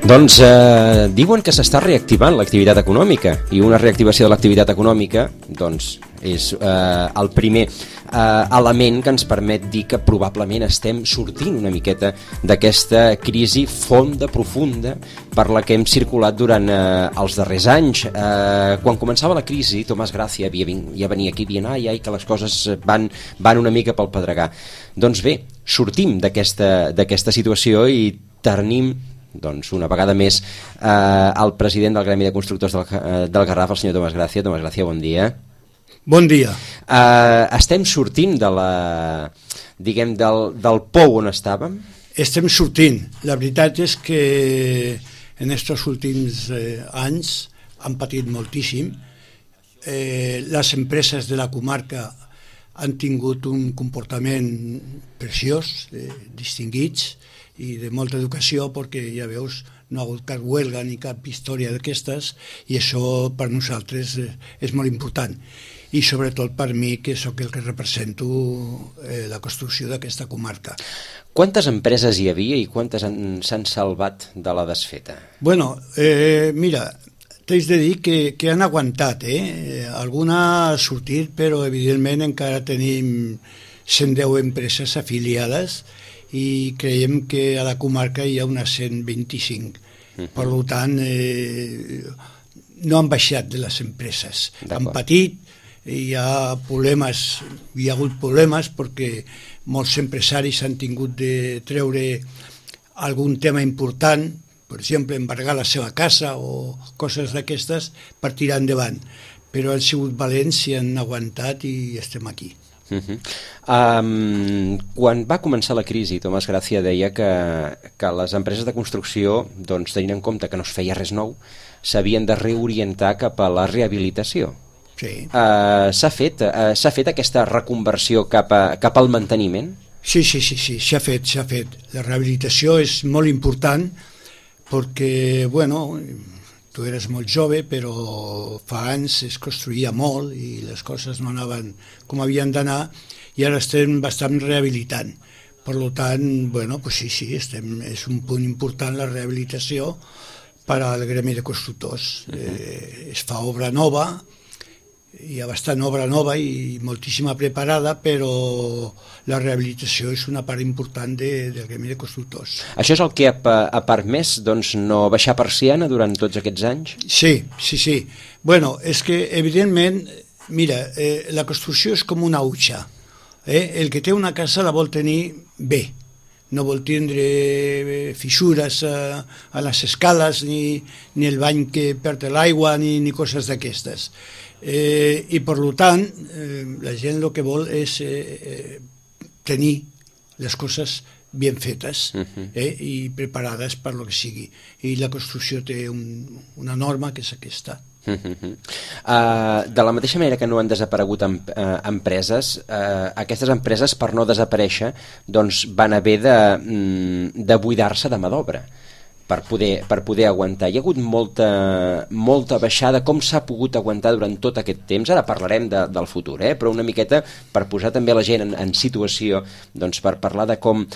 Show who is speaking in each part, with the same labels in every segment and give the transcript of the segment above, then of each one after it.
Speaker 1: Doncs diuen que s'està reactivant l'activitat econòmica, i una reactivació de l'activitat econòmica doncs, és el primer element que ens permet dir que probablement estem sortint una miqueta d'aquesta crisi fonda, profunda, per la que hem circulat durant els darrers anys. Quan començava la crisi, Tomàs Gràcia ja venia aquí dient ai, que les coses van una mica pel pedregar. Doncs bé, sortim d'aquesta situació i tenim doncs una vegada més el president del Gremi de Constructors del Garraf, el senyor Tomàs Gràcia. Tomàs Gràcia, bon dia.
Speaker 2: Bon dia.
Speaker 1: Estem sortint del pou on estàvem?
Speaker 2: Estem sortint. La veritat és que en aquests últims anys han patit moltíssim. Les empreses de la comarca han tingut un comportament preciós, distinguits, i de molta educació, perquè ja veus, no ha hagut cap huelga ni cap història d'aquestes, i això per nosaltres és molt important, i sobretot per mi, que sóc el que represento la construcció d'aquesta comarca.
Speaker 1: Quantes empreses hi havia i quantes s'han salvat de la desfeta?
Speaker 2: Bueno, mira, t'haig de dir que han aguantat, alguna ha sortit, però evidentment encara tenim 110 empreses afiliades, i creiem que a la comarca hi ha unes 125. Per tant, no han baixat de les empreses. Han patit, hi ha hagut problemes perquè molts empresaris han tingut de treure algun tema important, per exemple, embargar la seva casa o coses d'aquestes per tirar endavant. Però han sigut valents i han aguantat i estem aquí.
Speaker 1: Quan va començar la crisi, Tomàs Gràcia deia que les empreses de construcció, doncs, tenint en compte que no es feia res nou, s'havien de reorientar cap a la rehabilitació.
Speaker 2: Sí.
Speaker 1: S'ha fet aquesta reconversió cap al manteniment?
Speaker 2: Sí, s'ha fet. La rehabilitació és molt important perquè, bueno, tu eres molt jove, però fa anys es construïa molt i les coses no anaven com havien d'anar, i ara estem bastant rehabilitant. Per tant, bueno, pues sí, és un punt important la rehabilitació per al Gremi de Constructors. Es fa obra nova, hi ha bastant obra nova i moltíssima preparada, però la rehabilitació és una part important del Gremi de Constructors.
Speaker 1: Això és el que ha permès no baixar persiana durant tots aquests anys?
Speaker 2: Sí. Bueno, és que, evidentment, mira, la construcció és com una utxa. El que té una casa la vol tenir bé. No vol tindre fissures a les escales, ni el bany que perd l'aigua, ni coses d'aquestes. I per tant la gent el que vol és tenir les coses ben fetes i preparades per lo que sigui, i la construcció té una norma que és aquesta.
Speaker 1: De la mateixa manera que no han desaparegut empreses, aquestes empreses, per no desaparèixer, doncs van haver de buidar-se de mà d'obra per poder aguantar. Hi ha hagut molta baixada. Com s'ha pogut aguantar durant tot aquest temps? Ara parlarem del futur, però una miqueta per posar també la gent en situació, doncs per parlar de com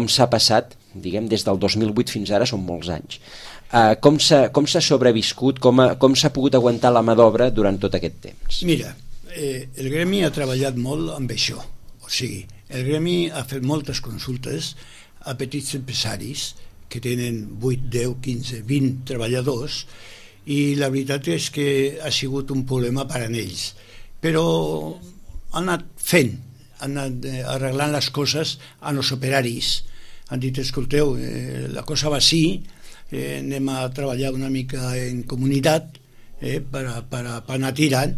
Speaker 1: s'ha passat, diguem, des del 2008 fins ara, són molts anys. Com s'ha sobreviscut, com s'ha pogut aguantar la mà d'obra durant tot aquest temps?
Speaker 2: Mira, el Gremi ha treballat molt amb això. O sigui, el Gremi ha fet moltes consultes a petits empresaris que tenen 8, 10, 15, 20 treballadors, i la veritat és que ha sigut un problema per a ells. Però han anat fent, han anat arreglant les coses a els operaris. Han dit, escolteu, la cosa va així, anem a treballar una mica en comunitat per anar tirant,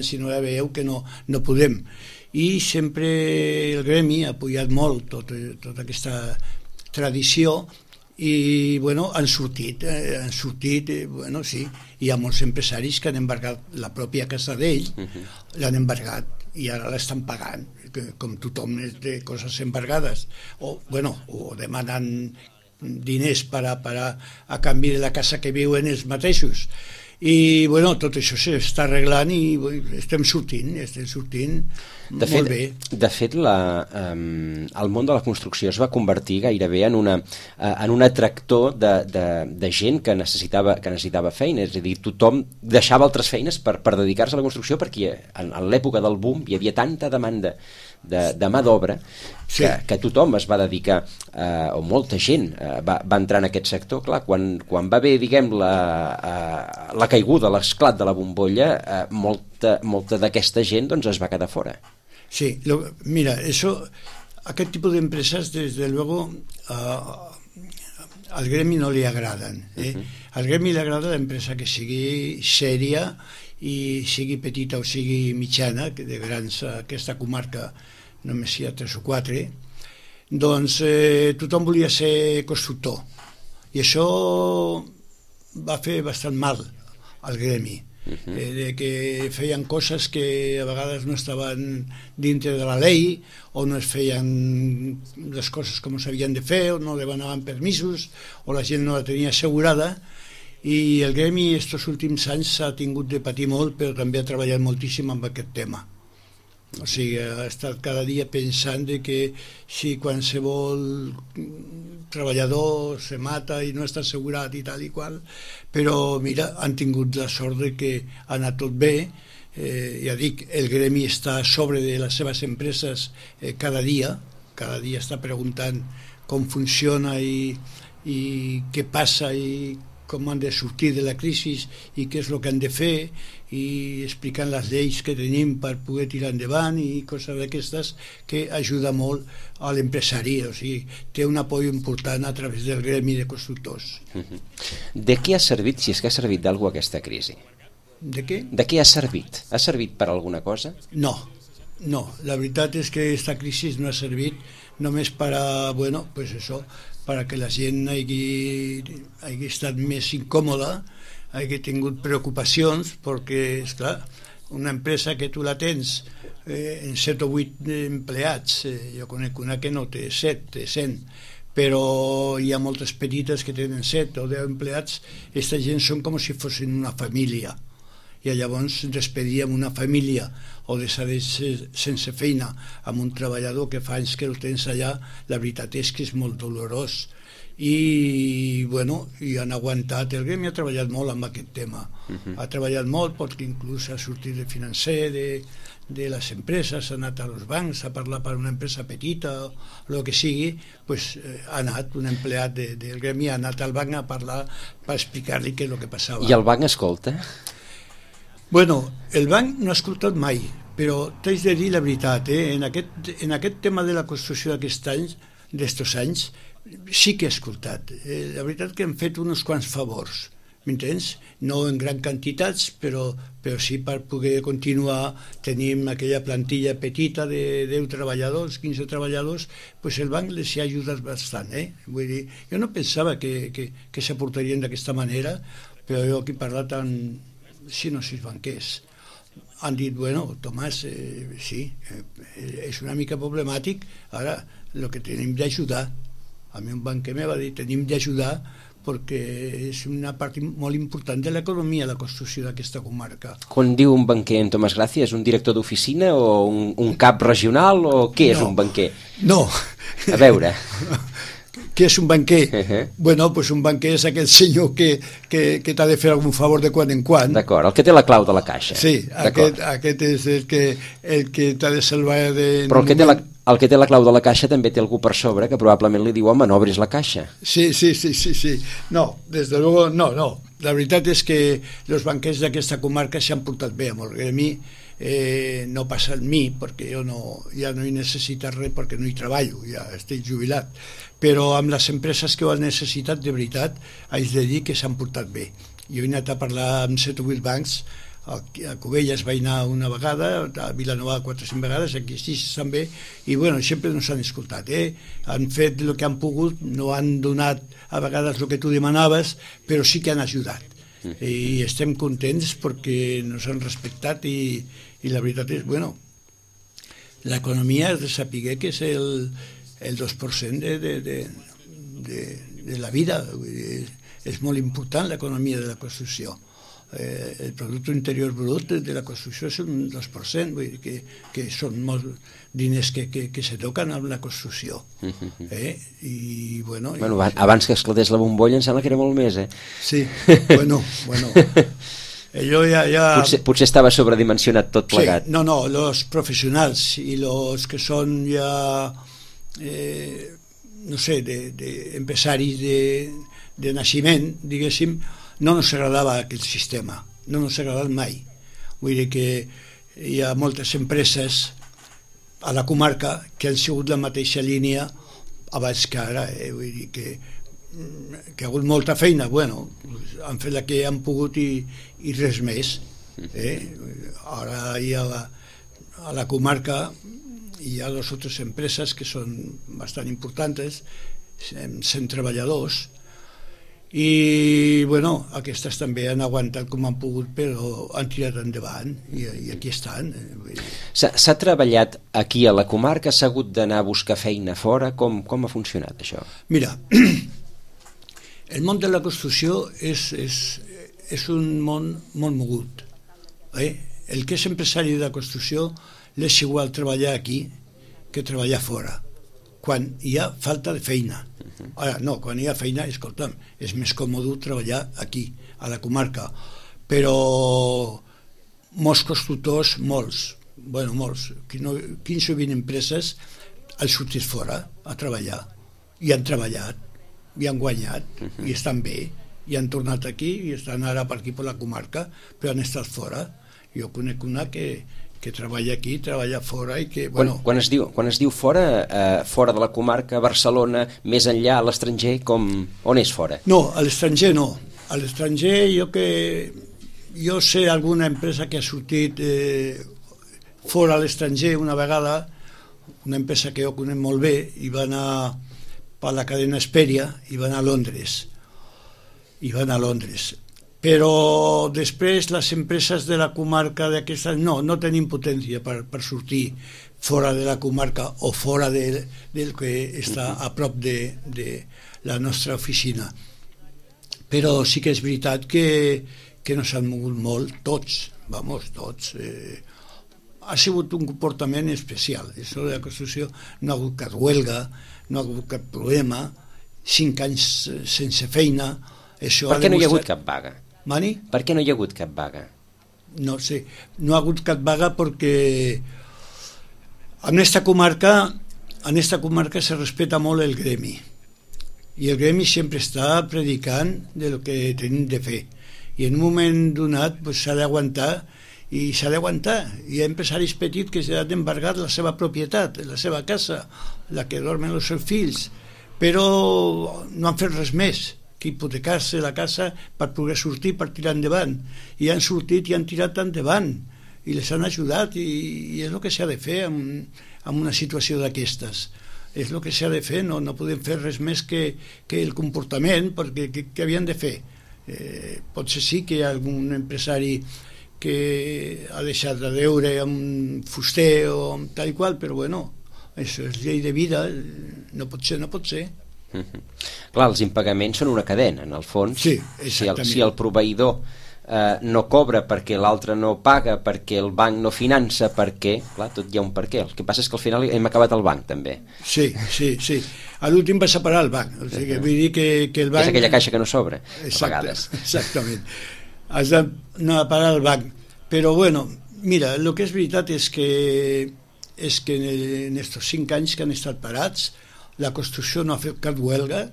Speaker 2: si no ja veieu que no podem. I sempre el Gremi ha apoyat molt tota aquesta tradició, i bueno, han sortit, bueno, sí, hi ha molts empresaris que han embargat la pròpia casa d'ell, l'han embargat i ara l'estan pagant, com tothom té coses embargades, o demanen diners a canvi de la casa que viuen ells mateixos, I bueno, tot això s'està arreglant i estem sortint molt bé.
Speaker 1: De fet, el món de la construcció es va convertir gairebé en un atractor de gent que necessitava feina, és a dir, tothom deixava altres feines per dedicar-se a la construcció, perquè en l'època del boom hi havia tanta demanda de mà d'obra que tothom es va dedicar, o molta gent va entrar en aquest sector. Clar, quan va haver, diguem, la caiguda, l'esclat de la bombolla, molta d'aquesta gent doncs, es va quedar fora.
Speaker 2: Sí, mira, aquest tipus d'empreses, desde luego, al gremi no li agraden. Al gremi li agrada l'empresa que sigui sèria i sigui petita o sigui mitjana, que de grans, aquesta comarca només hi ha 3 o 4, doncs tothom volia ser constructor, i això va fer bastant mal al gremi, de que feien coses que a vegades no estaven dintre de la llei, o no es feien les coses com s'havien de fer, o no demanaven permisos, o la gent no la tenia assegurada, i el gremi estos últims anys s'ha tingut de patir molt, però també ha treballat moltíssim amb aquest tema. O sigui, ha estat cada dia pensant que si qualsevol treballador se mata i no està assegurat i tal i qual, però mira, han tingut la sort de que ha anat tot bé. Ja dic, el gremi està a sobre de les seves empreses cada dia està preguntant com funciona i què passa i com han de sortir de la crisi i què és el que han de fer, i explicant les lleis que tenim per poder tirar endavant i coses d'aquestes, que ajuda molt a l'empresari. O sigui, té un apoyo important a través del gremi de constructors.
Speaker 1: De què ha servit, si és que ha servit d'alguna cosa aquesta crisi?
Speaker 2: De què?
Speaker 1: De què ha servit? Ha servit per alguna cosa?
Speaker 2: No, la veritat és que aquesta crisi no ha servit només per a, bueno, pues eso, para que la gent hagi estat més incòmoda, hagi tingut preocupacions, perquè, esclar, una empresa que tu la tens en 7 o 8 empleats, jo conec una que no té 7, té 100, però hi ha moltes petites que tenen 7 o 10 empleats. Aquesta gent són com si fossin una família, i llavors despedir amb una família o deixar sense feina amb un treballador que fa anys que el tens allà, la veritat és que és molt dolorós. I bueno, i han aguantat. El gremi ha treballat molt amb aquest tema, ha treballat molt, perquè inclús ha sortit de financer de les empreses, ha anat als bancs a parlar per una empresa petita o el que sigui, pues, ha anat un empleat del gremi, ha anat al banc a parlar per explicar-li què és el que passava.
Speaker 1: I el banc escolta?
Speaker 2: Bueno, el banc no ha escoltat mai, però t'haig de dir la veritat, en aquest tema de la construcció d'estos anys, sí que he escoltat. La veritat que hem fet uns quants favors, m'entens? No en gran quantitats, però sí per poder continuar. Tenim aquella plantilla petita de 10 treballadors, 15 treballadors, pues el banc les ha ajudat bastant. Vull dir, jo no pensava que s'aportarien d'aquesta manera, però jo aquí he parlat amb 5 o 6 banquers. Han dit, bueno, Tomàs, sí, és una mica problemàtic, ara el que tenim d'ajudar. A mi un banquer me va dir, tenim d'ajudar perquè és una part molt important de l'economia, la construcció d'aquesta comarca.
Speaker 1: Quan diu un banquer en Tomàs Gràcia, és un director d'oficina o un cap regional o què és un banquer?
Speaker 2: No.
Speaker 1: A veure...
Speaker 2: Què és un banquer? Bueno, pues un banquer és aquell senyor que t'ha de fer algun favor de quan en quan.
Speaker 1: D'acord, el que té la clau de la caixa.
Speaker 2: Sí, aquest és el que t'ha de salvar de...
Speaker 1: Però el que té la clau de la caixa també té algú per sobre que probablement li diu, home, no obris la caixa.
Speaker 2: Sí. No, des de luego, no. La veritat és que els banquers d'aquesta comarca s'han portat bé amb el gremi. No passa en mi, perquè jo ja no he necessitat res, perquè no hi treballo, ja estic jubilat, però amb les empreses que ho han necessitat, de veritat, haig de dir que s'han portat bé. Jo he anat a parlar amb 7 o 8 bancs, a Cubelles vaig anar una vegada, a Vilanova 4 o 5 vegades, aquí sí també, i bueno, sempre no s'han escoltat, han fet el que han pogut, no han donat a vegades el que tu demanaves, però sí que han ajudat. I estem contents perquè nos han respectat i la veritat és, bueno, l'economia és de saber que és el 2% de la vida. És molt important l'economia de la construcció. El Producte Interior Brut de la construcció és un 2%, vull dir que són molts diners que se toquen amb la construcció. I, bueno,
Speaker 1: abans que esclatés la bombolla em sembla que era molt més,
Speaker 2: Sí, bueno. Allò ja...
Speaker 1: Potser estava sobredimensionat tot plegat.
Speaker 2: Sí, no, los professionals i los que són ja, no sé, empresaris de naixement, diguéssim, no ens agradava aquest sistema, no ens ha agradat mai. Vull dir que hi ha moltes empreses a la comarca que han sigut la mateixa línia abans que ara, vull dir que ha hagut molta feina, bueno, han fet la que han pogut i res més. Ara hi ha a la comarca hi ha dues altres empreses que són bastant importants, 100 treballadors, i bueno, aquestes també han aguantat com han pogut, però han tirat endavant i aquí estan.
Speaker 1: S'ha treballat aquí a la comarca? S'ha hagut d'anar a buscar feina fora? Com ha funcionat això?
Speaker 2: Mira, el món de la construcció és un món molt mogut. El que és empresari de la construcció l'és igual treballar aquí que treballar fora, quan hi ha falta de feina. Ara, no, quan hi ha feina, escolta'm, és més còmode treballar aquí, a la comarca, però molts constructors, molts, 15 o 20 empreses han sortit fora a treballar, i han treballat, i han guanyat, i estan bé, i han tornat aquí, i estan ara per aquí per la comarca, però han estat fora. Jo conec una que treballa aquí, treballa fora i que... Bueno,
Speaker 1: quan es diu fora, fora de la comarca, Barcelona, més enllà, a l'estranger, on és fora?
Speaker 2: No, a l'estranger no. A l'estranger jo sé alguna empresa que ha sortit fora a l'estranger una vegada, una empresa que jo conec molt bé, i va anar per la cadena Hesperia i va anar a Londres. Però després les empreses de la comarca d'aquestes no tenim potència per sortir fora de la comarca o fora del que està a prop de la nostra oficina. Però sí que és veritat que no s'han mogut molt, tots. Ha sigut un comportament especial. Això de la construcció no ha hagut cap huelga, no ha hagut cap problema, 5 anys sense feina.
Speaker 1: Per què no hi ha hagut cap vaga?
Speaker 2: Mani?
Speaker 1: Per què no hi ha hagut cap vaga?
Speaker 2: No sé, no ha hagut cap vaga perquè en esta comarca se respeta molt el gremi i el gremi sempre està predicant de lo que tenim de fer i en un moment donat s'ha d'aguantar i s'ha d'aguantar. Hi ha empresaris petits que s'han d'embargar la seva propietat, la seva casa, la que dormen els seus fills, però no han fet res més que hipotecar-se la casa per poder sortir, per tirar endavant. I han sortit i han tirat endavant i les han ajudat i és el que s'ha de fer en una situació d'aquestes. És el que s'ha de fer, no podem fer res més que el comportament, perquè què havien de fer? Potser sí que hi ha algun empresari que ha deixat de deure amb un fuster o amb tal i qual, però bueno, això és llei de vida, no pot ser.
Speaker 1: Clar, els impagaments són una cadena, en el fons.
Speaker 2: Sí, exactament.
Speaker 1: Si el proveïdor no cobra perquè l'altre no paga, perquè el banc no finança, perquè, clar, tot hi ha un perquè. El que passa és que al final hem acabat al banc, també.
Speaker 2: Sí. A l'últim vas a parar al banc. O sigui, vull dir que el banc...
Speaker 1: És aquella caixa que no sobra, a vegades.
Speaker 2: Exactament. Has d'anar a parar al banc. Però, bueno, mira, el que és veritat és que en estos 5 anys que han estat parats la construcció no ha fet cap huelga,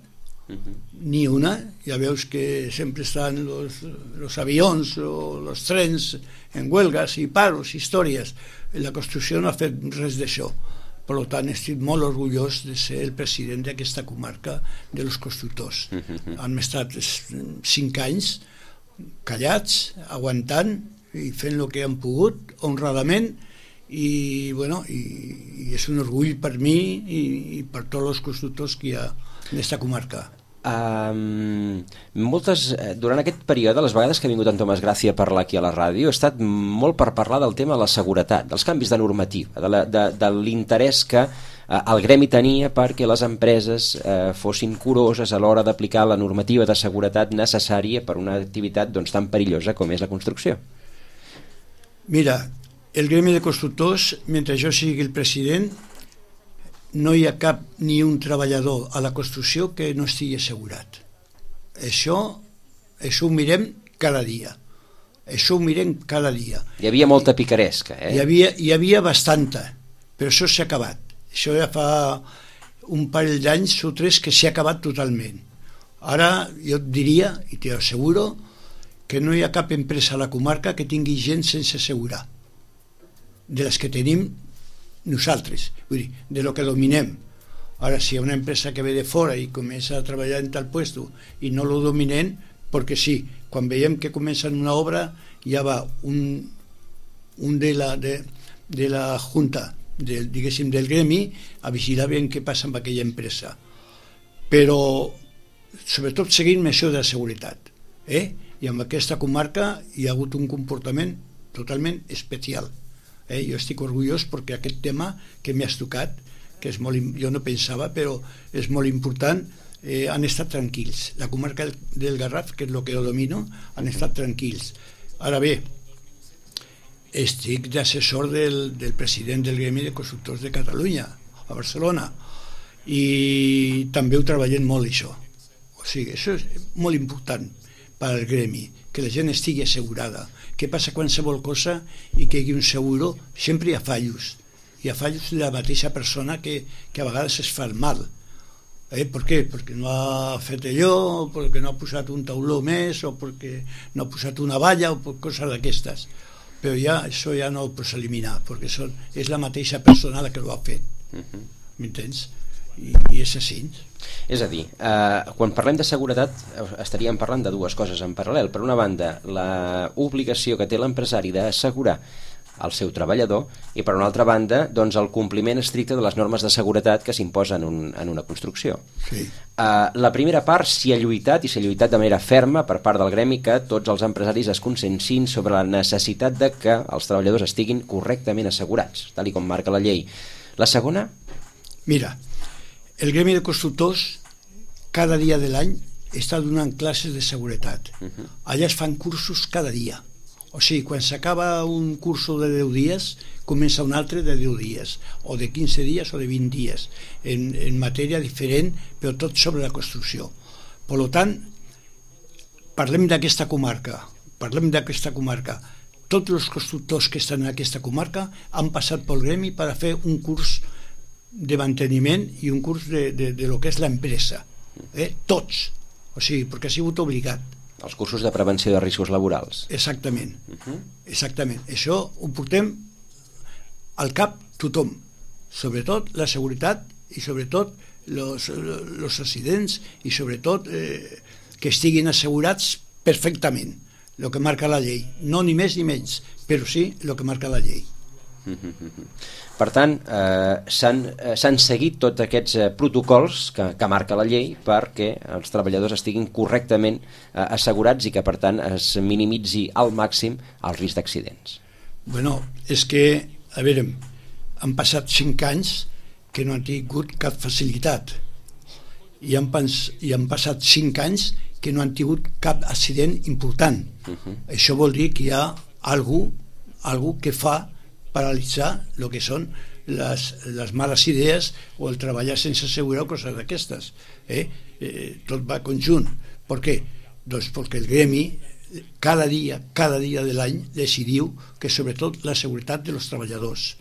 Speaker 2: ni una. Ja veus que sempre estan los avions o los trens en huelgas i paros, històries. La construcció no ha fet res d'això. Per tant, estic molt orgullós de ser el president d'aquesta comarca de los constructors. Han estat 5 anys callats, aguantant i fent el que han pogut, honradament, i bueno, i és un orgull per mi i per tots els constructors que hi ha en aquesta comarca.
Speaker 1: Durant aquest període, les vegades que ha vingut en Tomàs Gràcia a parlar aquí a la ràdio, ha estat molt per parlar del tema de la seguretat, dels canvis de normativa, de l'interès que el gremi tenia perquè les empreses fossin curoses a l'hora d'aplicar la normativa de seguretat necessària per una activitat doncs, tan perillosa com és la construcció.
Speaker 2: Mira, el gremi de constructors, mentre jo sigui el president, no hi ha cap ni un treballador a la construcció que no estigui assegurat. Això ho mirem cada dia. Això ho mirem cada dia.
Speaker 1: Hi havia molta picaresca,
Speaker 2: Hi havia bastanta, però això s'ha acabat. Això ja fa un parell d'anys o tres que s'ha acabat totalment. Ara jo et diria, i t'ho asseguro, que no hi ha cap empresa a la comarca que tingui gent sense assegurar. De les que tenim nosaltres, vull dir, de lo que dominem. Ara, si hi ha una empresa que ve de fora i comença a treballar en tal puesto i no lo dominen, perquè sí, quan veiem que comencen una obra, ja va un de la junta, diguéssim, del gremi, a vigilar ben què passa amb aquella empresa. Però, sobretot, seguint això de la seguretat. I en aquesta comarca hi ha hagut un comportament totalment especial. Jo estic orgullós perquè aquest tema que m'has tocat, que és molt, jo no pensava, però és molt important, han estat tranquils. La comarca del Garraf, que és el que jo domino, han estat tranquils. Ara bé, estic d'assessor del president del Gremi de Constructors de Catalunya, a Barcelona, i també ho treballem molt, això. O sigui, això és molt important per al gremi, que la gent estigui assegurada. Què passa qualsevol cosa i que hi hagi un seguro? Sempre hi ha fallos. Hi ha fallos de la mateixa persona que a vegades es fa el mal. Per què? Perquè no ha fet allò, perquè no ha posat un tauló més, o perquè no ha posat una valla, o per coses d'aquestes. Però ja, això ja no ho pots eliminar, perquè és la mateixa persona la que ho ha fet. M'entens? I és així.
Speaker 1: És a dir, quan parlem de seguretat estaríem parlant de dues coses en paral·lel. Per una banda, l'obligació que té l'empresari d'assegurar el seu treballador i per una altra banda, doncs, el compliment estricte de les normes de seguretat que s'imposen en una construcció.
Speaker 2: Sí.
Speaker 1: La primera part s'hi ha lluitat i s'ha lluitat de manera ferma per part del gremi que tots els empresaris es consciencin sobre la necessitat de que els treballadors estiguin correctament assegurats, tal com marca la llei. La segona?
Speaker 2: Mira, el gremi de constructors cada dia de l'any està donant classes de seguretat. Allà es fan cursos cada dia. O sigui, quan s'acaba un curso de 10 dies, comença un altre de 10 dies, o de 15 dies o de 20 dies, en matèria diferent, però tot sobre la construcció. Per tant, parlem d'aquesta comarca. Tots els constructors que estan en aquesta comarca han passat pel gremi per a fer un curs de manteniment i un curs de lo que és l'empresa. Tots. O sigui, perquè ha sigut obligat.
Speaker 1: Els cursos de prevenció de riscos laborals.
Speaker 2: Exactament. Exactament. Això ho portem al cap tothom. Sobretot la seguretat i sobretot els accidents i sobretot que estiguin assegurats perfectament. El que marca la llei. No ni més ni menys, però sí el que marca la llei.
Speaker 1: Per tant, s'han seguit tots aquests protocols que marca la llei perquè els treballadors estiguin correctament assegurats i que per tant es minimitzi al màxim el risc d'accidents.
Speaker 2: Bueno, és que, a veure, han passat 5 anys que no han tingut cap facilitat i han passat 5 anys que no han tingut cap accident important. Això vol dir que hi ha algú que fa paralitzar el que són les males idees o el treballar sense assegurar o coses d'aquestes. Tot va conjunt. Per què? Doncs perquè el gremi cada dia de l'any decidiu que sobretot la seguretat dels treballadors,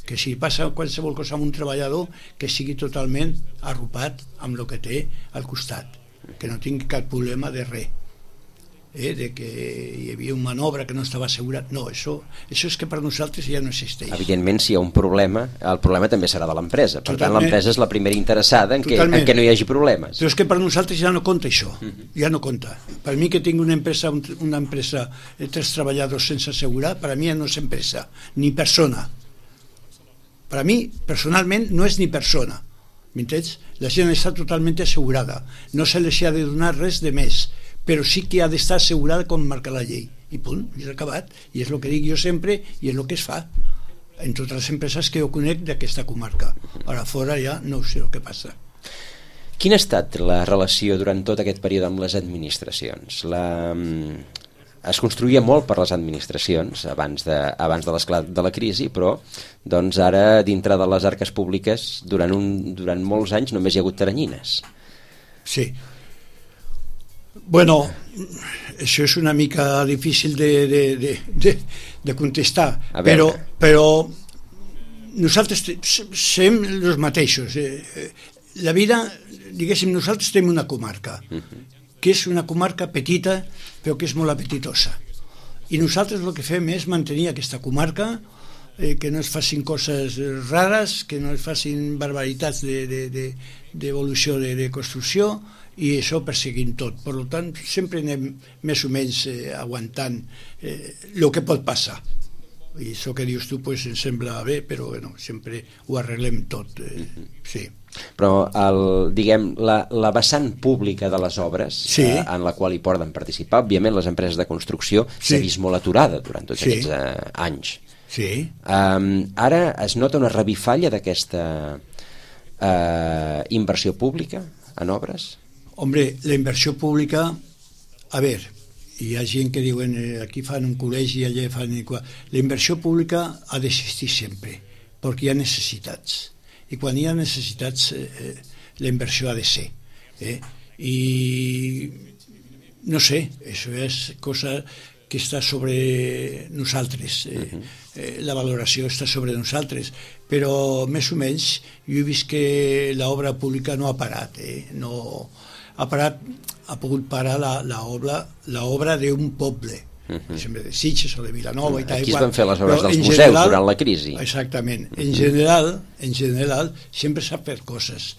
Speaker 2: que si passa qualsevol cosa amb un treballador que sigui totalment arropat amb el que té al costat, que no tingui cap problema de res. De que hi havia una manobra que no estava assegurat. No, això és que per nosaltres ja no existeix.
Speaker 1: Evidentment, si hi ha un problema, el problema també serà de l'empresa. Per tant, l'empresa és la primera interessada en que no hi hagi problemes.
Speaker 2: Però és que per nosaltres ja no compta això. Ja no compta. Per mi que tinc una empresa 3 treballadors sense assegurar, per a mi ja no és empresa, ni persona. Per a mi, personalment, no és ni persona. M'entens? La gent està totalment assegurada. No se les ha de donar res de més, però sí que ha d'estar assegurada com marca la llei. I punt, és acabat. I és el que dic jo sempre i és el que es fa. en totes les empreses que jo conec d'aquesta comarca. Ara fora ja no sé el que passa.
Speaker 1: Quina ha estat la relació durant tot aquest període amb les administracions? Es construïa molt per les administracions abans de l'esclat de la crisi, però doncs ara dintre de les arques públiques durant molts anys només hi ha hagut teranyines.
Speaker 2: Sí. Bueno, això és una mica difícil de contestar, però nosaltres som els mateixos. La vida, diguéssim, nosaltres tenim una comarca, que és una comarca petita, però que és molt apetitosa. I nosaltres el que fem és mantenir aquesta comarca, que no es facin coses rares, que no es facin barbaritats d'evolució de construcció, i això perseguint tot. Per tant, sempre anem més o menys aguantant el que pot passar. I això que dius tu pues, em sembla bé, però bueno, sempre ho arreglem tot. Sí.
Speaker 1: Però la vessant pública de les obres, sí, en la qual hi poden participar, òbviament les empreses de construcció, s'ha vist molt aturada durant tots aquests anys.
Speaker 2: Sí.
Speaker 1: Ara es nota una revifalla d'aquesta inversió pública en obres?
Speaker 2: Hombre, la inversió pública, a veure, hi ha gent que diuen aquí fan un col·legi, allà fan... La inversió pública ha d'existir sempre, perquè hi ha necessitats. I quan hi ha necessitats, la inversió ha de ser. I no sé, això és cosa que està sobre nosaltres. La valoració està sobre nosaltres, però més o menys jo he vist que l'obra pública no ha parat, no ha parat, ha pogut parar l'obra d'un poble, per exemple de Sitges o de Vilanova i tal.
Speaker 1: Aquí es van fer les obres dels museus durant la crisi.
Speaker 2: Exactament. En general sempre s'ha fet coses.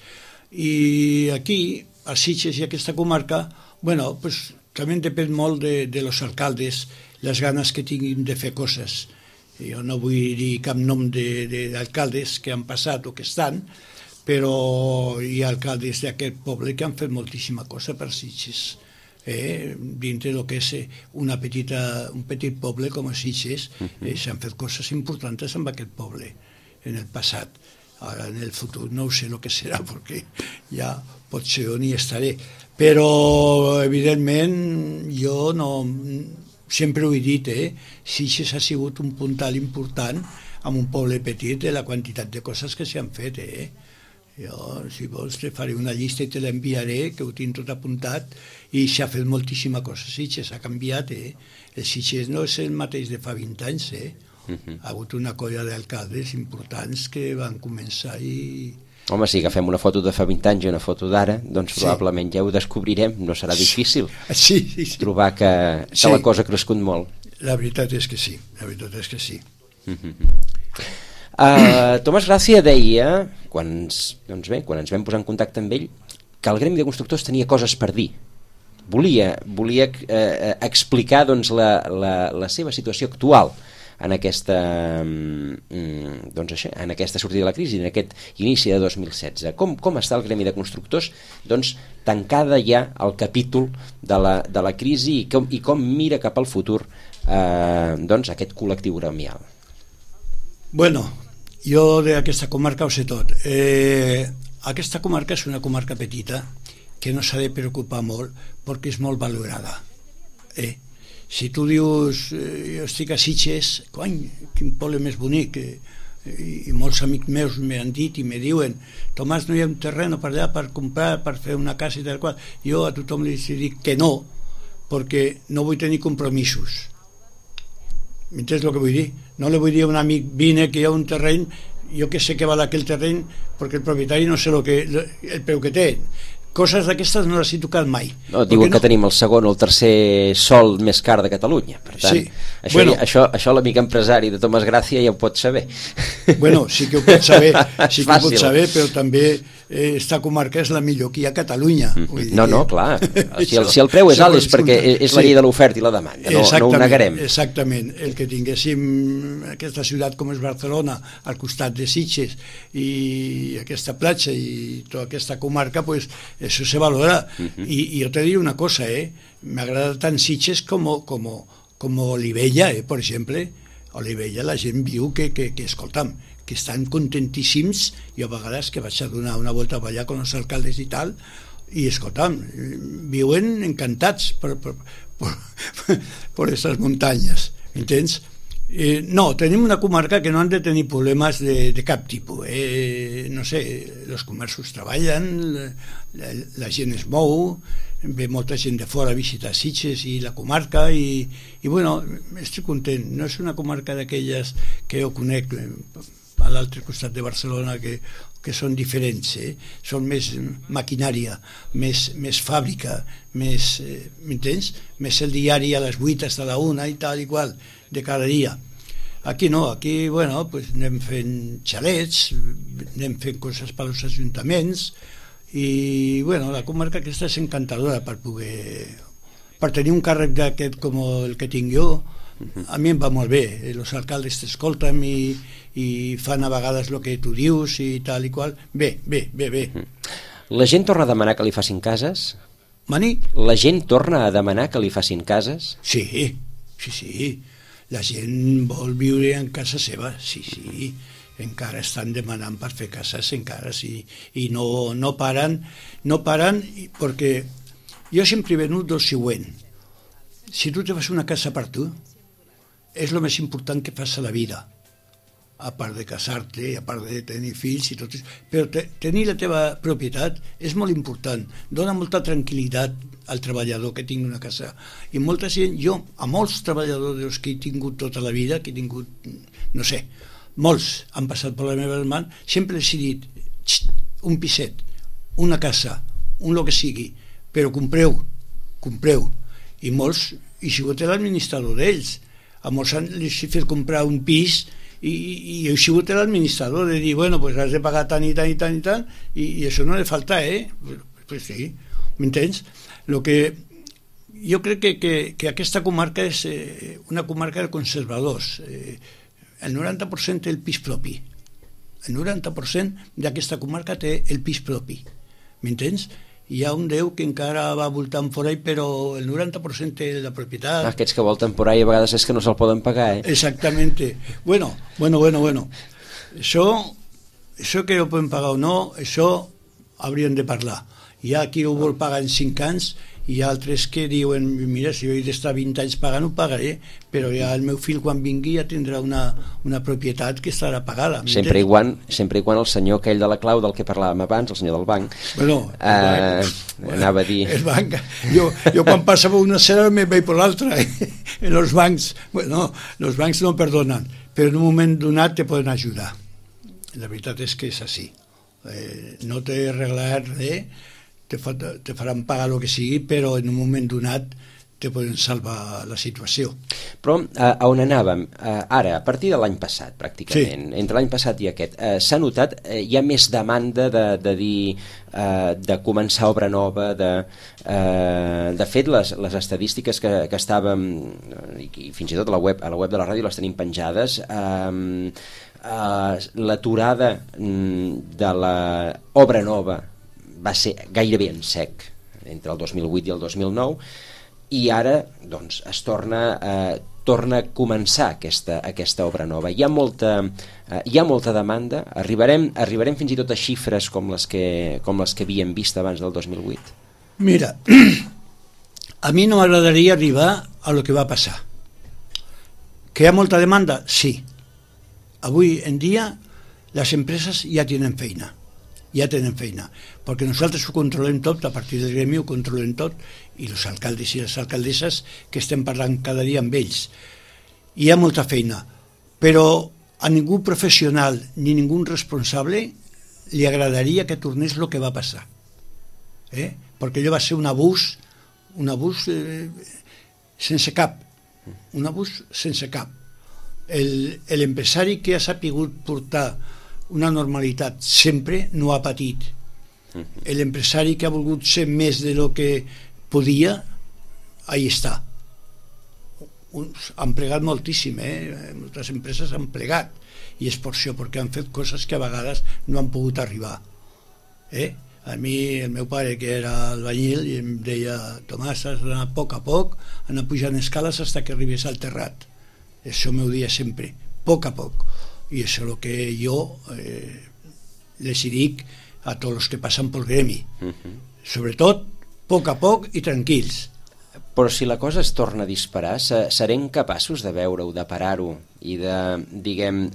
Speaker 2: I aquí, a Sitges i aquesta comarca, bueno, pues també depèn molt de los alcaldes, les ganes que tinguin de fer coses. Jo no vull dir cap nom d'alcaldes que han passat o que estan, però hi ha alcaldes d'aquest poble que han fet moltíssima cosa per Sitges. Dintre del que és un petit poble com a Sitges, s'han fet coses importants amb aquest poble en el passat. Ara en el futur no sé el que serà, perquè ja potser on hi estaré. Però evidentment jo no... Sempre ho he dit, Sitges ha sigut un puntal important en un poble petit de la quantitat de coses que s'han fet. Jo, si vols, te faré una llista i te l'enviaré, que ho tinc tot apuntat, i s'ha fet moltíssima cosa. Sitges ha canviat, El Sitges no és el mateix de fa 20 anys, Ha hagut una colla d'alcaldes importants que van començar i...
Speaker 1: Home, si agafem una foto de fa 20 anys i una foto d'ara, doncs probablement ja ho descobrirem, no serà difícil trobar que la cosa ha crescut molt.
Speaker 2: La veritat és que sí, la veritat és que sí.
Speaker 1: Tomàs Gràcia deia, quan ens vam posar en contacte amb ell, que el gremi de constructors tenia coses per dir. Volia explicar doncs, la seva situació actual en aquesta sortida de la crisi, en aquest inici de 2016. Com està el gremi de constructors doncs, tancada ja el capítol de la crisi i com mira cap al futur doncs, aquest col·lectiu gremial?
Speaker 2: Bueno, jo d'aquesta comarca ho sé tot. Aquesta comarca és una comarca petita que no s'ha de preocupar molt perquè és molt valorada. Si tu dius, jo estic a Sitges, quin poble més bonic, i molts amics meus m'han dit i me diuen, Tomàs, no hi ha un terreno per allà per comprar, per fer una casa i tal qual. Jo a tothom li dic que no, perquè no vull tenir compromisos. M'entens el que vull dir? No li vull dir a un amic, vine que hi ha un terreny, jo que sé que val aquell terreny, perquè el propietari no sé el preu que té. Coses d'aquestes no les he tocat mai.
Speaker 1: No, diuen que tenim el segon o el tercer sol més car de Catalunya. Per tant, això l'amic empresari de Tomàs Gràcia ja ho pot saber.
Speaker 2: Bueno, sí que ho pot saber, però també esta comarca és la millor que hi ha a Catalunya.
Speaker 1: No, clar. Si el preu és alt és perquè és la llei de l'oferta i la demanda. No ho negarem.
Speaker 2: Exactament. El que tinguéssim aquesta ciutat com és Barcelona al costat de Sitges i aquesta platja i tota aquesta comarca, pues eso se valora. Y yo te digo una cosa, me agrada tan Sitges como Olivella, por ejemplo. a Olivella la gent viu que escolta'm, que estan contentíssims, i a vegades que vaig a donar una volta per allà amb els alcaldes i tal, i escolta'm, viuen encantats per aquestes muntanyes, entens? No, tenim una comarca que no han de tenir problemes de cap tipus, no sé, els comerços treballen, la gent es mou, ve molta gent de fora a visitar Sitges i la comarca, i bueno, estic content. No és una comarca d'aquelles que jo conec a l'altre costat de Barcelona que són diferents, són més maquinària, més fàbrica, més, m'entens? Més el diari a les 8 fins a la 1 i tal i qual, de cada dia. Aquí no, aquí, bueno, pues anem fent xalets, anem fent coses per als ajuntaments, i, bueno, la comarca aquesta és encantadora per tenir un càrrec d'aquest com el que tinc jo. A mi em va molt bé, els alcaldes t'escolten i fan a vegades el que tu dius i tal i qual. Bé.
Speaker 1: La gent torna a demanar que li facin cases?
Speaker 2: Mani?
Speaker 1: La gent torna a demanar que li facin cases?
Speaker 2: Sí. La gent vol viure en casa seva, sí. Encara estan demanant per fer cases, encara sí. I no paren, perquè jo sempre he venut del següent. Si tu te fas una casa per tu, és el més important que fas a la vida, a part de casar-te, a part de tenir fills i tot. Però tenir la teva propietat és molt important, dona molta tranquil·litat al treballador que tingui una casa. I molta gent, jo, a molts treballadors que he tingut tota la vida, que he tingut, no sé, molts han passat per la meva mans, sempre els he dit, un piset, una casa, un lo que sigui, però compreu. I molts, he sigut l'administrador d'ells. A molts els he fet comprar un pis i he sigut l'administrador de dir, bueno, pues has de pagar tant i tant, i això no ha de faltar, Pues sí, m'entens? Lo que jo crec que aquesta comarca és una comarca de conservadors. El 90% té el pis propi. El 90% d'aquesta comarca té el pis propi. M'entens? Hi ha un 10 que encara va voltant por ahí, però el 90% té la propietat.
Speaker 1: Aquests que volten por ahí a vegades és que no se'l poden pagar,
Speaker 2: Exactamente. Bueno. Això que ho poden pagar o no, això hauríem de parlar. Hi ha qui ho vol pagar en 5 anys, i hi ha altres que diuen, mira, si jo he d'estar 20 anys pagant, ho pagaré, però ja el meu fill quan vingui ja tindrà una propietat que estarà pagada.
Speaker 1: Sempre i quan el senyor aquell de la clau del que parlàvem abans, el senyor del banc, anava a dir...
Speaker 2: El banc, jo quan passava una cera me veig per l'altra. Els bancs no perdonen, però en un moment donat te poden ajudar. La veritat és que és així. No t'he arreglat res, te faran pagar el que sigui, però en un moment donat te poden salvar la situació.
Speaker 1: Però a on anàvem? Ara, a partir de l'any passat, pràcticament, entre l'any passat i aquest, s'ha notat, hi ha més demanda de dir, de començar obra nova, de fet, les estadístiques que estàvem, i fins i tot a la web de la ràdio les tenim penjades, l'aturada de l'obra nova va ser gairebé en sec entre el 2008 i el 2009, i ara doncs, es torna a començar aquesta obra nova. Hi ha molta demanda. Arribarem fins i tot a xifres com les que havíem vist abans del 2008.
Speaker 2: Mira, a mi no m'agradaria arribar a lo que va passar. Que hi ha molta demanda? Sí. Avui en dia les empreses ja tenen feina, perquè nosaltres ho controlem tot, a partir del gremi ho controlem tot, i els alcaldes i les alcaldesses que estem parlant cada dia amb ells. Hi ha molta feina, però a ningú professional ni ningú responsable li agradaria que tornés el que va passar, perquè allò va ser un abús sense cap, l'empresari que ha sapigut portar una normalitat sempre no ha patit. L'empresari que ha volgut ser més de lo que podia, ahí està. Han plegat moltíssim, moltes empreses han plegat, i és per això, perquè han fet coses que a vegades no han pogut arribar. A mi, el meu pare, que era albañil, i em deia, Tomàs, has d'anar a poc, anar pujant escales fins que arribés al terrat. Eso me ho dia sempre, a poc. I això és el que jo les dic a tots els que passen pel gremi. Sobretot, a poc i tranquils.
Speaker 1: Però si la cosa es torna a disparar, serem capaços de veure-ho, de parar-ho i de, diguem,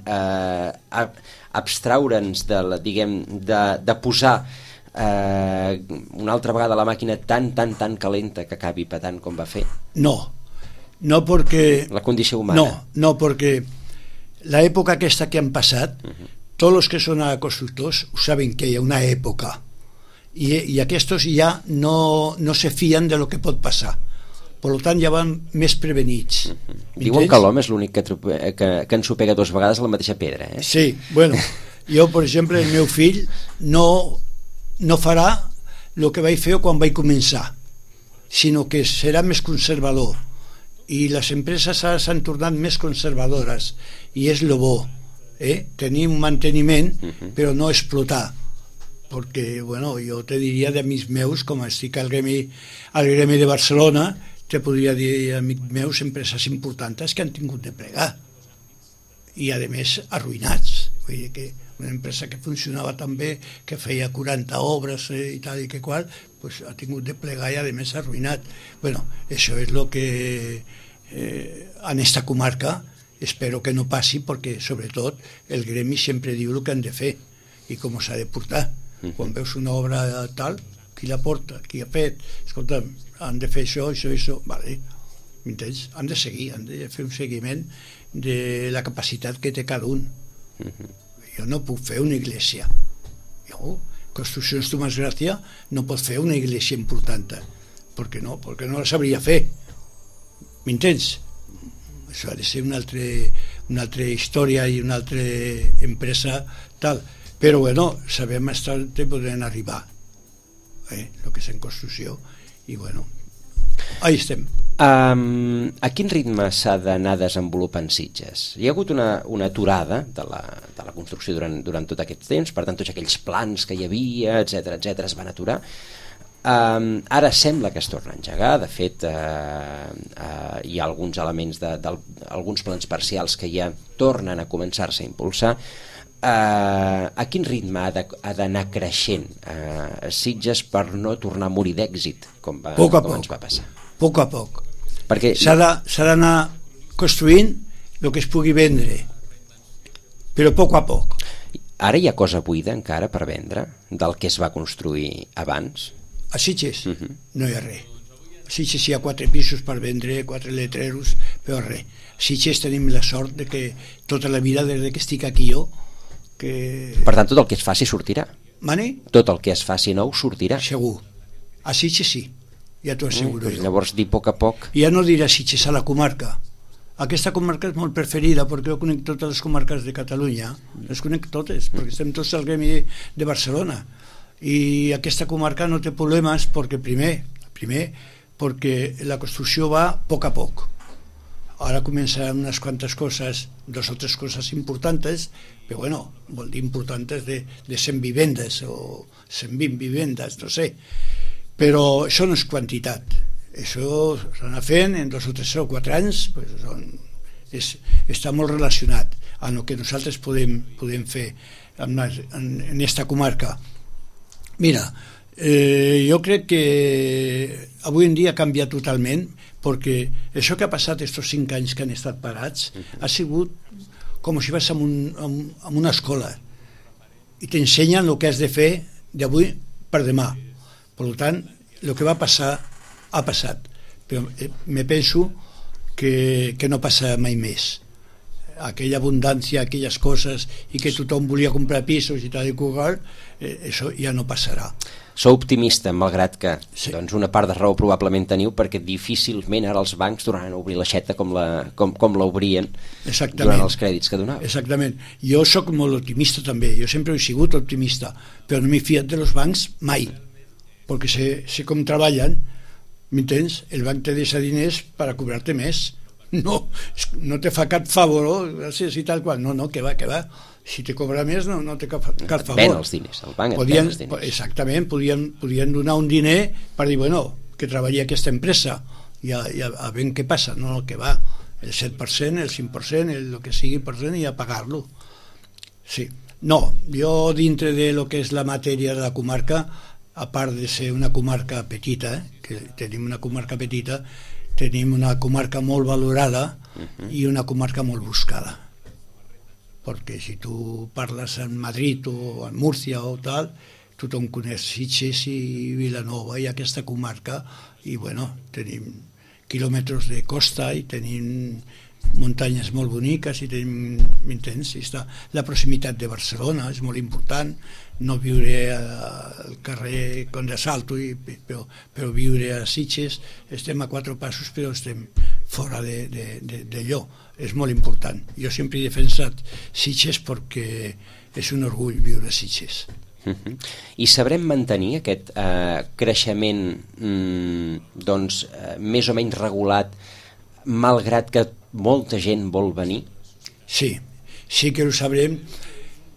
Speaker 1: abstraure'ns de posar una altra vegada la màquina tan calenta que acabi patant com va fer?
Speaker 2: No perquè...
Speaker 1: La condició humana.
Speaker 2: No, perquè l'època aquesta que han passat, tots els que són constructors saben que hi ha una època i aquests ja no se fien de lo que pot passar. Per tant, ja van més prevenits.
Speaker 1: Diuen que l'home és l'únic que ensopega 2 vegades la mateixa pedra, eh?
Speaker 2: Sí, bueno, jo, per exemple, el meu fill no farà el que vaig fer quan vaig començar, sinó que serà més conservador. I les empreses ara s'han tornat més conservadores, i és el bo, tenir un manteniment, però no explotar. Perquè, bueno, jo te diria d'amics meus, com estic al gremi de Barcelona, te podria dir, amics meus, empreses importants que han tingut de plegar i a més arruïnats. Vull dir que una empresa que funcionava tan bé, que feia 40 obres i tal i que qual, pues ha tingut de plegar i a més arruïnat. Bueno, això és el que en esta comarca espero que no passi, perquè sobretot el gremi sempre diu el que han de fer i com s'ha de portar. Quan veus una obra tal, qui la porta, qui ha fet, escolta, han de fer això, vale, m'entens? Han de seguir, han de fer un seguiment de la capacitat que té cada un. Jo no puc fer una iglesia. Jo, Construccions Tomàs Gràcia, no pot fer una iglesia important. Per què no? Perquè no la sabria fer. M'entens? Això ha de ser una altra història i una altra empresa tal. Però bueno, sabem estar te podran arribar el que és en construcció i bueno, ahí estem.
Speaker 1: A quin ritme s'ha d'anar desenvolupant Sitges? Hi ha hagut una aturada de la construcció durant tot aquest temps, per tant tots aquells plans que hi havia, etc es van aturar. Ara sembla que es torna a engegar, de fet hi ha alguns elements d'alguns plans parcials que ja tornen a començar-se a impulsar. A quin ritme ha d'anar creixent Sitges per no tornar a morir d'èxit com ens va passar?
Speaker 2: A poc.
Speaker 1: Perquè
Speaker 2: s'ha d'anar construint el que es pugui vendre, però a poc.
Speaker 1: Ara hi ha cosa buida encara per vendre del que es va construir abans?
Speaker 2: A Sitges no hi ha res. A Sitges hi ha 4 pisos per vendre, 4 letreros, però res. A Sitges tenim la sort de que tota la vida, des que estic aquí jo,
Speaker 1: Per tant, tot el que es faci sortirà.
Speaker 2: Mani?
Speaker 1: Tot el que es faci nou sortirà.
Speaker 2: Segur. A Sitges sí, ja t'ho asseguro jo.
Speaker 1: Llavors, dir a poc.
Speaker 2: Ja no diré a Sitges, a la comarca. Aquesta comarca és molt preferida perquè jo conec totes les comarques de Catalunya, les conec totes, perquè estem tots al gremi de Barcelona. I aquesta comarca no té problemes perquè primer perquè la construcció va a poc. Ara començaran unes quantes coses, 2 o 3 coses importants, però bueno, vol dir importants de 100 vivendes o 120 vivendes, no sé. Però això no és quantitat. Això s'anà fent en 2 o 3 o 4 anys, pues està molt relacionat amb el que nosaltres podem fer en esta comarca. Mira, jo crec que avui en dia ha canviat totalment, perquè això que ha passat estos 5 anys que han estat parats ha sigut com si vas a una escola i t'ensenyen el que has de fer d'avui per demà. Per tant, el que va passar ha passat, però me penso que no passa mai més. Aquella abundància, aquelles coses i que tothom volia comprar pisos i tal i qual, això ja no passarà.
Speaker 1: Sou optimista, malgrat que
Speaker 2: sí.
Speaker 1: Doncs una part de raó probablement teniu, perquè difícilment ara els bancs tornaran a obrir l'aixeta com l'obrien durant els crèdits que donaven.
Speaker 2: Exactament. Jo sóc molt optimista també, jo sempre he sigut optimista, però no m'he fiat de los bancs mai, perquè sé com treballen, m'entens? El banc te deixa diners per a cobrar-te més. No te fa cap favor, gràcies i tal qual. No, que va. Si te cobra més no té cap favor.
Speaker 1: Ven els diners, el banc et ven els diners.
Speaker 2: Exactament, podien donar un diner per dir, bueno, que treballi aquesta empresa i a veure què passa. No, que va. el 7%, el 5%, el que sigui per cent, i a pagar-lo. Sí. No, jo dintre de lo que és la matèria de la comarca, a part de ser una comarca petita, que tenim una comarca petita, tenim una comarca molt valorada i una comarca molt buscada. Perquè si tu parles en Madrid o en Múrcia o tal, tothom coneix Sitges i Vilanova i aquesta comarca, i bueno, tenim quilòmetres de costa i tenim muntanyes molt boniques i tenim, m'entens? La proximitat de Barcelona és molt important, no viure al carrer Conde Salto, però viure a Sitges, estem a 4 passos però estem fora d'allò, és molt important. Jo sempre he defensat Sitges perquè és un orgull viure a Sitges.
Speaker 1: I sabrem mantenir aquest creixement doncs més o menys regulat, malgrat que molta gent vol venir?
Speaker 2: Sí, sí que ho sabrem.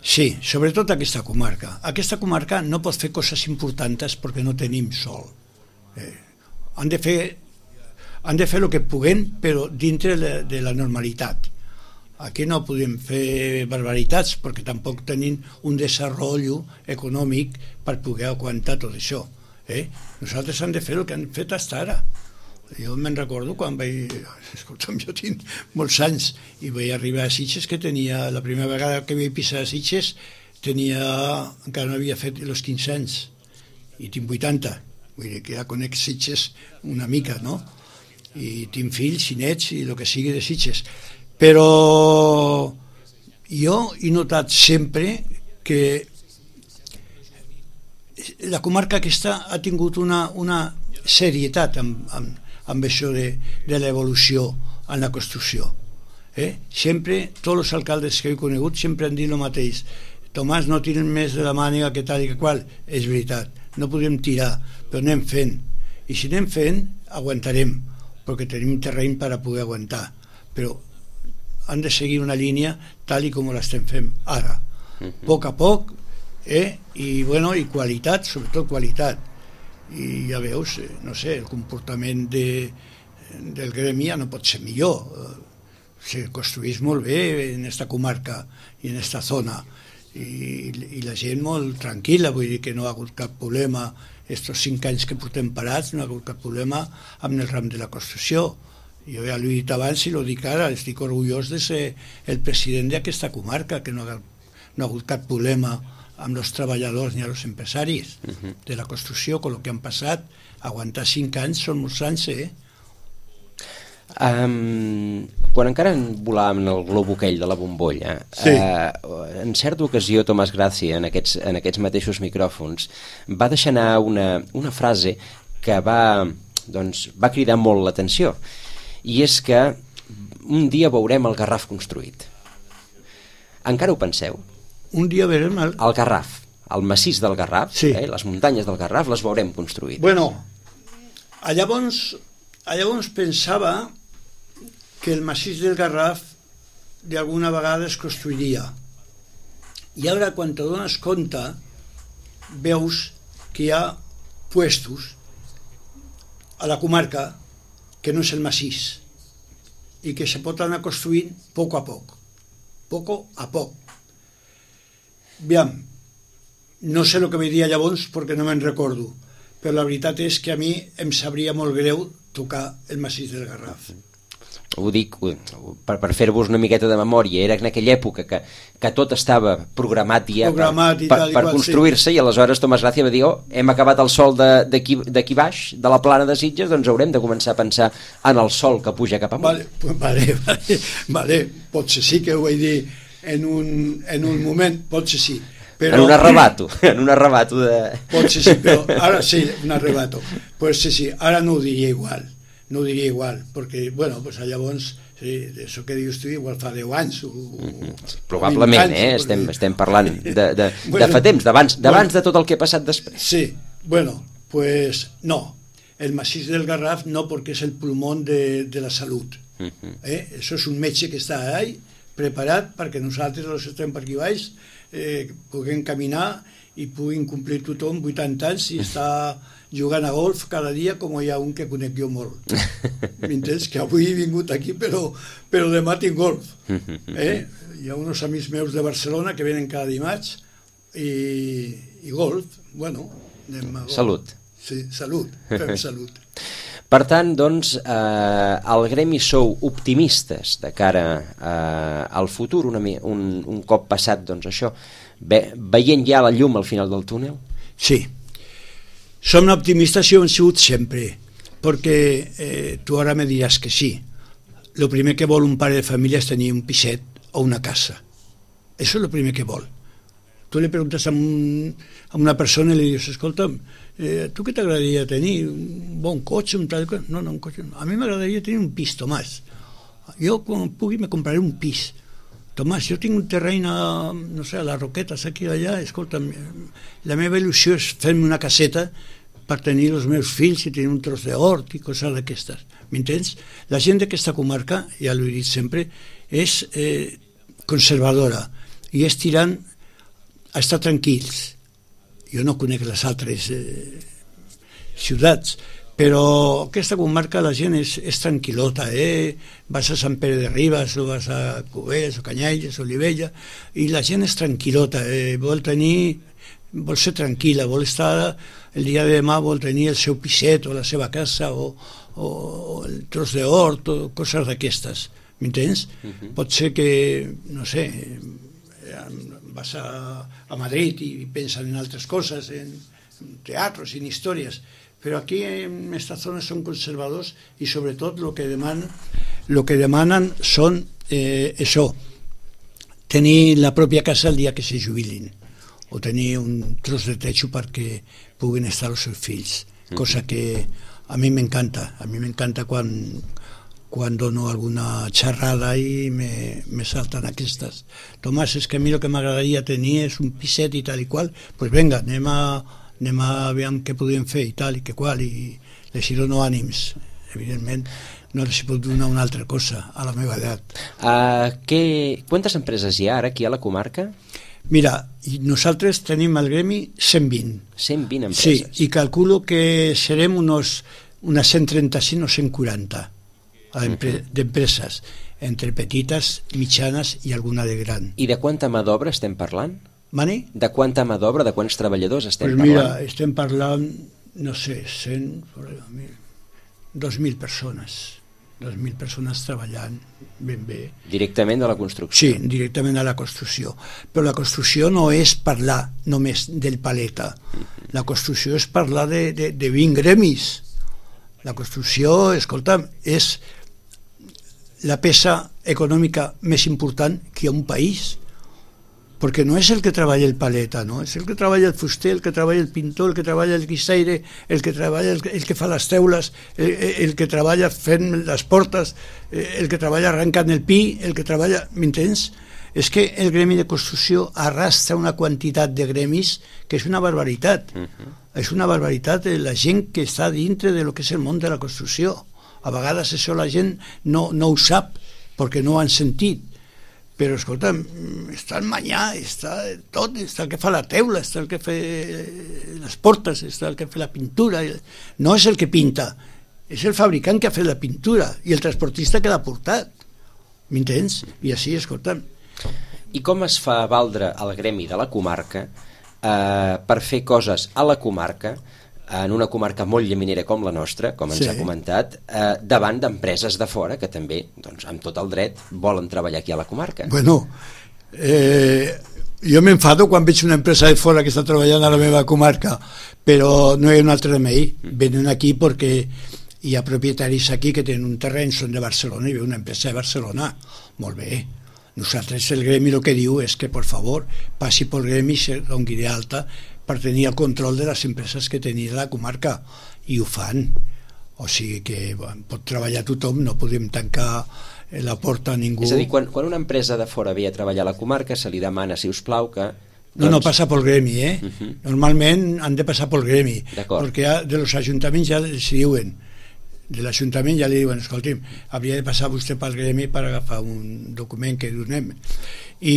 Speaker 2: Sí, sobretot aquesta comarca. Aquesta comarca no pot fer coses importants perquè no tenim sol. Han de fer el que puguem, però dintre de la normalitat. Aquí no podem fer barbaritats perquè tampoc tenim un desenvolupament econòmic per poder aguantar tot això. Nosaltres hem de fer el que han fet fins ara. Jo me'n recordo quan vaig... Escolta'm, jo tinc molts anys i vaig arribar a Sitges, que tenia... La primera vegada que vaig pisar a Sitges encara no havia fet els 15 anys i tinc 80. Vull dir que ja conec Sitges una mica, no? I tinc fills i nets i el que sigui de Sitges. Però jo he notat sempre que la comarca aquesta ha tingut una serietat amb això de l'evolució en la construcció. Sempre, tots els alcaldes que he conegut sempre han dit el mateix. Tomàs, no tiren més de la màniga que tal i que qual. És veritat, no podem tirar, però anem fent. I si anem fent, aguantarem, perquè tenim terreny per a poder aguantar. Però han de seguir una línia tal i com l'estem fent ara. A poc, i qualitat, sobretot qualitat. I ja veus, no sé, el comportament del gremi ja no pot ser millor. Se construeix molt bé en aquesta comarca i en aquesta zona, i la gent molt tranquil·la, vull dir que no ha hagut cap problema. Estos 5 anys que portem parats no ha hagut cap problema amb el ram de la construcció. Jo ja l'he dit abans i l'ho dic ara, estic orgullós de ser el president d'aquesta comarca, que no ha hagut cap problema amb els treballadors ni els empresaris de la construcció, amb el que han passat. Aguantar 5 anys són molts anys,
Speaker 1: Quan encara volàvem el glob aquell de la bombolla, sí. En certa ocasió Tomàs Gràcia, en aquests mateixos micròfons, va deixar anar una frase que va cridar molt l'atenció, i és que un dia veurem el Garraf construït. Encara ho penseu?
Speaker 2: Un dia veurem
Speaker 1: el Garraf, el massís del Garraf,
Speaker 2: sí.
Speaker 1: Les muntanyes del Garraf les veurem construït.
Speaker 2: Bueno, llavors pensava que el massís del Garraf d'alguna vegada es construiria. I ara, quan te dones compte, veus que hi ha puestos a la comarca que no és el massís i que se pot anar construint a poc. Aviam, no sé el que diria llavors perquè no me'n recordo, però la veritat és que a mi em sabria molt greu tocar el massís del Garraf.
Speaker 1: Ho dic per fer-vos una miqueta de memòria. Era en aquella època que tot estava programat ja per construir-se, sí. I aleshores Tomàs Gràcia va dir, hem acabat el sol d'aquí baix, de la plana de Sitges, doncs haurem de començar a pensar en el sol que puja cap amunt.
Speaker 2: Vale, potser sí que ho vaig dir en un moment, potser sí.
Speaker 1: Però... En un arrebato de...
Speaker 2: Potser sí, però ara sí, un arrebato. Potser sí, ara no ho diria igual. No ho diria igual, perquè, bueno, pues llavors, sí, això que dius tu, igual fa 10 anys.
Speaker 1: Probablement, estem parlant de fa temps, d'abans de tot el que ha passat després.
Speaker 2: Sí, bueno, pues no, el massís del Garraf no, perquè és el pulmón de la salut. Això és un metge que està ahí, preparat perquè nosaltres, els que estem per aquí baix, puguem caminar i puguin complir tothom 80 anys i estar jugant a golf cada dia, com hi ha un que conec jo molt. M'entens? Que avui he vingut aquí, però demà tinc golf. Hi ha uns amics meus de Barcelona que venen cada dimarts i golf, bueno, anem a golf.
Speaker 1: Salut.
Speaker 2: Sí, salut, fem salut.
Speaker 1: Per tant, doncs, al gremi sou optimistes de cara al futur, un cop passat, doncs, això, veient ja la llum al final del túnel?
Speaker 2: Sí, som optimistes i ho hem sigut sempre, perquè tu ara me diràs que sí. El primer que vol un pare de família és tenir un piset o una casa. Això és el primer que vol. Tu li preguntes a una persona i li dius, escolta'm, tu què t'agradaria tenir? Un bon cotxe? Un tal... No, un cotxe. A mi m'agradaria tenir un pis, Tomàs. Jo, quan pugui, me compraré un pis. Tomàs, jo tinc un terreny a les Roquetes, aquí i allà, escolta'm, la meva il·lusió és fer-me una caseta per tenir els meus fills i tenir un tros d'hort i coses d'aquestes. M'entens? La gent d'aquesta comarca, ja l'he dit sempre, és conservadora i és tirant a estar tranquils. Jo no conec les altres ciutats, però aquesta comarca la gent és tranquil·lota, vas a Sant Pere de Ribes o vas a Cubelles o Canyelles o Olivella i la gent és tranquil·lota, vol ser tranquil·la, vol estar el dia de demà, vol tenir el seu piset o la seva casa o el tros d'hort o coses d'aquestes, m'entens? Pot ser que, no sé, vas a Madrid i pensen en altres coses, en teatros, en històries, però aquí en aquesta zona són conservadors i sobretot el que demanen són això, tenir la pròpia casa el dia que se jubilin o tenir un tros de techo perquè puguin estar els seus fills, cosa que a mi m'encanta quan dono alguna xerrada i me salten aquestes. Tomàs, és que a mi el que m'agradaria tenir és un piset i tal i qual, doncs vinga, anem a veure què podem fer i tal i que qual, i les hi dono ànims. Evidentment no els puc donar una altra cosa a la meva edat.
Speaker 1: Quantes empreses hi ha ara aquí a la comarca?
Speaker 2: Mira, nosaltres tenim al gremi 120.
Speaker 1: 120 empreses?
Speaker 2: Sí, i calculo que serem unes 135 o 140 d'empreses, entre petites, mitjanes i alguna de gran.
Speaker 1: I de quanta mà d'obra estem parlant?
Speaker 2: Mani?
Speaker 1: De quanta mà d'obra, de quants treballadors estem parlant?
Speaker 2: Mira, estem parlant, no sé, 2.000 persones. 2.000 persones treballant ben bé.
Speaker 1: Directament de la construcció?
Speaker 2: Sí, directament a la construcció. Però la construcció no és parlar només del paleta. La construcció és parlar de 20 gremis. La construcció, escolta'm, és la peça econòmica més important que hi ha un país, perquè no és el que treballa el paleta, no? És el que treballa el fuster, el que treballa el pintor, el que treballa el guixaire, el que treballa el que fa les teules, el que treballa fent les portes, el que treballa arrencant el pi, el que treballa... M'entens? És que el gremi de construcció arrastra una quantitat de gremis que és una barbaritat. És una barbaritat la gent que està dintre de lo que és el món de la construcció. A vegades això la gent no ho sap perquè no ho han sentit. Però, escolta, està el manyà, està tot, està el que fa la teula, està el que fa les portes, està el que fa la pintura. No és el que pinta, és el fabricant que ha fet la pintura i el transportista que l'ha portat. M'entens? I així, escolta...
Speaker 1: I com es fa valdre el gremi de la comarca per fer coses a la comarca, en una comarca molt llaminera com la nostra, com ens ha comentat, davant d'empreses de fora que també, doncs, amb tot el dret, volen treballar aquí a la comarca?
Speaker 2: Bueno, jo m'enfado quan veig una empresa de fora que està treballant a la meva comarca, però no hi ha un altre remei. Venen aquí perquè hi ha propietaris aquí que tenen un terreny, són de Barcelona, i ve una empresa de Barcelona. Molt bé. Nosaltres, el gremi, el que diu és que, per favor, passi pel gremi i se doni d'alta per tenir el control de les empreses que tenia la comarca, i ho fan. O sigui que pot treballar tothom, no podem tancar la porta a ningú.
Speaker 1: És a dir, quan una empresa de fora ve a treballar a la comarca, se li demana, si us plau, que...
Speaker 2: No passa pel gremi, Normalment han de passar pel gremi, perquè de los ajuntaments ja els diuen, de l'Ajuntament ja li diuen, escolti'm, hauria de passar vostè pel gremi per agafar un document que donem, i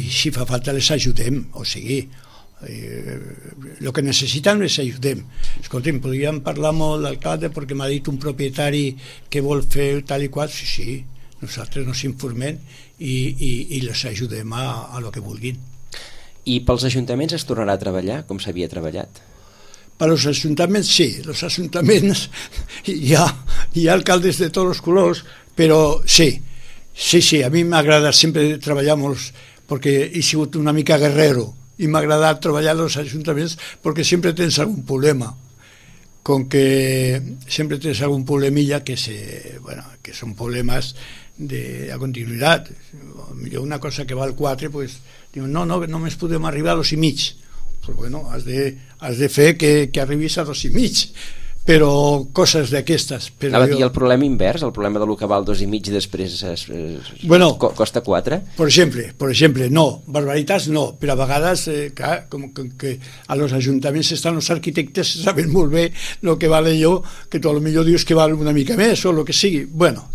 Speaker 2: si fa falta les ajudem, o sigui, el que necessitem les ajudem. Escolta'm, podríem parlar molt d'alcalde perquè m'ha dit un propietari que vol fer tal i qual. Sí, nosaltres nos informem i les ajudem a lo que vulguin.
Speaker 1: I pels ajuntaments es tornarà a treballar com s'havia treballat?
Speaker 2: Per als ajuntaments sí, els ajuntaments hi ha alcaldes de tots els colors, però sí, a mi m'ha agradat sempre treballar molt, perquè he sigut una mica guerrero, i m'ha agradat treballar als ajuntaments perquè sempre tens algun problema, com que sempre tens algun problemilla que són problemes de continuïtat. Millor una cosa que val 4, pues, diu, no, només podem arribar a 2,5, però bueno, has de fer que arribis a 2,5, però coses d'aquestes.
Speaker 1: I el problema invers, el problema de lo que val 2,5 i després costa 4?
Speaker 2: Per exemple, no, barbaritats no, però a vegades, clar, com que a los ajuntaments estan els arquitectes, saben molt bé el que vale allò, que tu potser dius que val una mica més o el que sigui. Bueno,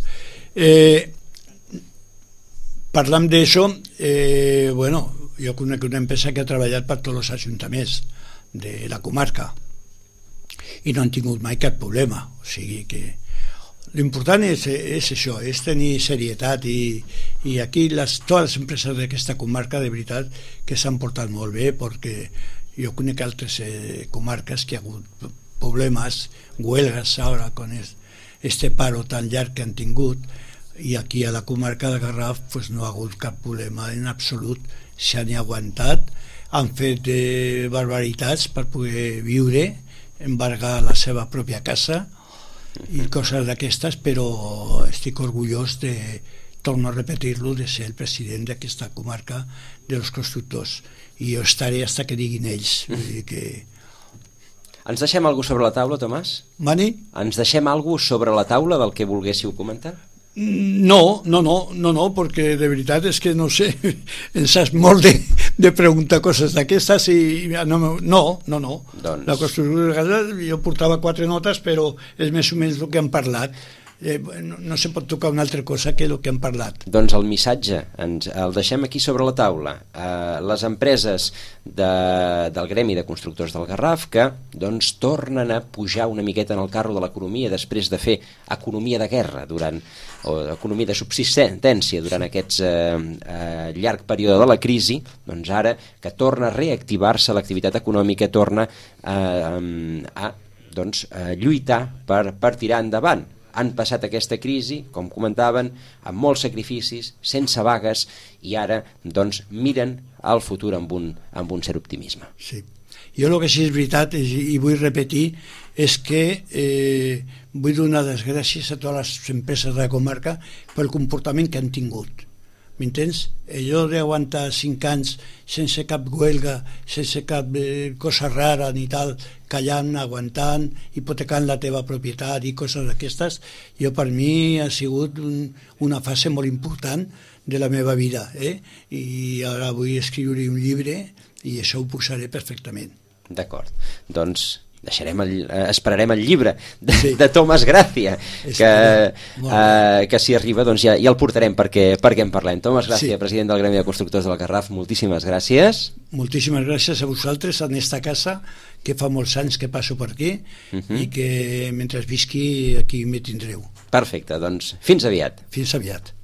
Speaker 2: parlant d'això, jo conec una empresa que ha treballat per tots els ajuntaments de la comarca i no han tingut mai cap problema. O sigui que l'important és això, és tenir serietat, i aquí totes les empreses d'aquesta comarca de veritat que s'han portat molt bé, perquè jo conec altres comarques que ha hagut problemes, huelgas ara con este paro tan llarg que han tingut, i aquí a la comarca de Garraf pues no ha hagut cap problema en absolut, s'han aguantat, han fet barbaritats per poder viure, embargar la seva pròpia casa i coses d'aquestes, però estic orgullós de, torno a repetir-lo, de ser el president d'aquesta comarca dels constructors, i jo estaré fins que diguin ells. Vull dir que...
Speaker 1: Ens deixem alguna cosa sobre la taula, Tomàs?
Speaker 2: Mani?
Speaker 1: Ens deixem alguna cosa sobre la taula del que volguéssiu comentar?
Speaker 2: No, perquè de veritat és que no sé, em saps molt de preguntar coses d'aquestes i no. Doncs... La construcció de casa, jo portava 4 notes, però és més o menys el que han parlat. No se pot tocar una altra cosa que el que han parlat.
Speaker 1: Doncs el missatge el deixem aquí sobre la taula. Les empreses del gremi de constructors del Garraf que doncs tornen a pujar una miqueta en el carro de l'economia després de fer economia de guerra o economia de subsistència durant aquest llarg període de la crisi, doncs ara que torna a reactivar-se l'activitat econòmica, torna a lluitar per tirar endavant. Han passat aquesta crisi, com comentaven, amb molts sacrificis, sense vagues, i ara doncs miren al futur amb un cert optimisme.
Speaker 2: Sí. Jo el que sí és veritat, i vull repetir, és que vull donar les gràcies a totes les empreses de la comarca pel comportament que han tingut. M'entens? Allò d'aguantar 5 anys sense cap huelga, sense cap cosa rara ni tal, callant, aguantant, hipotecant la teva propietat i coses d'aquestes, jo per mi ha sigut una fase molt important de la meva vida, i ara vull escriure un llibre i això ho posaré perfectament.
Speaker 1: D'acord, doncs esperarem el llibre de Tomàs Gràcia, que si arriba doncs ja el portarem perquè en parlem. Tomàs Gràcia, president del Gremi de Constructors del Garraf, moltíssimes gràcies.
Speaker 2: Moltíssimes gràcies a vosaltres en esta casa, que fa molts anys que passo per aquí, i que mentre visqui aquí me tindreu.
Speaker 1: Perfecte, doncs fins aviat.
Speaker 2: Fins aviat.